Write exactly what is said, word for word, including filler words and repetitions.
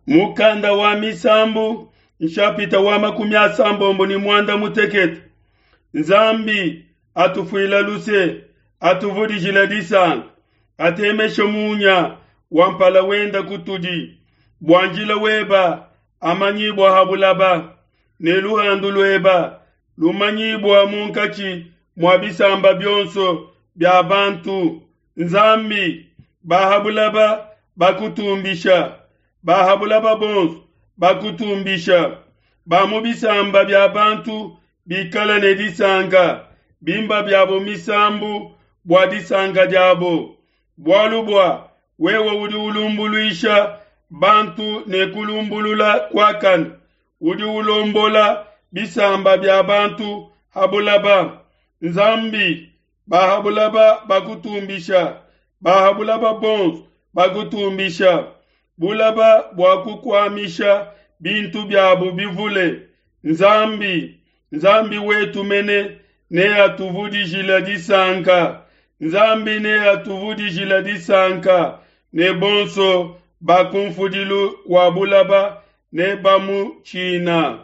Mukanda wa Misambu nshapita wa makumi asambombo ne muanda mutekete. Nzambi atufuila luse, atuvudijila disanka, atemeshe munya wa mpala wenda kutudi, bua njila weba amanyibua ha bulaba, ne luhandu lueba lumanyibua munkatshi mua bisamba bionso bia bantu. Nzambi, ba ha bulaba bakutumbisha, ba ha bulaba bonso bakutumbisha, ba mu bisamba bia bantu bikala ne disanka, bimba biabo misambu bua disanka diabo, bualu bua wewe udi ulumbuluisha bantu ne kulumbulula kuakane, udi ulombola bisamba bia bantu ha bulaba. Nzambi, ba ha bulaba bakutumbisha, ba ha bulaba bonso bakutumbisha, bulaba bua kukuamisha bintu biabu bivule. Nzambi, Nzambi wetu mene neatuvudijile disanka, Nzambi neatuvudijile disanka, ne bonso ba ku mfudilu wa bulaba nebamutshina.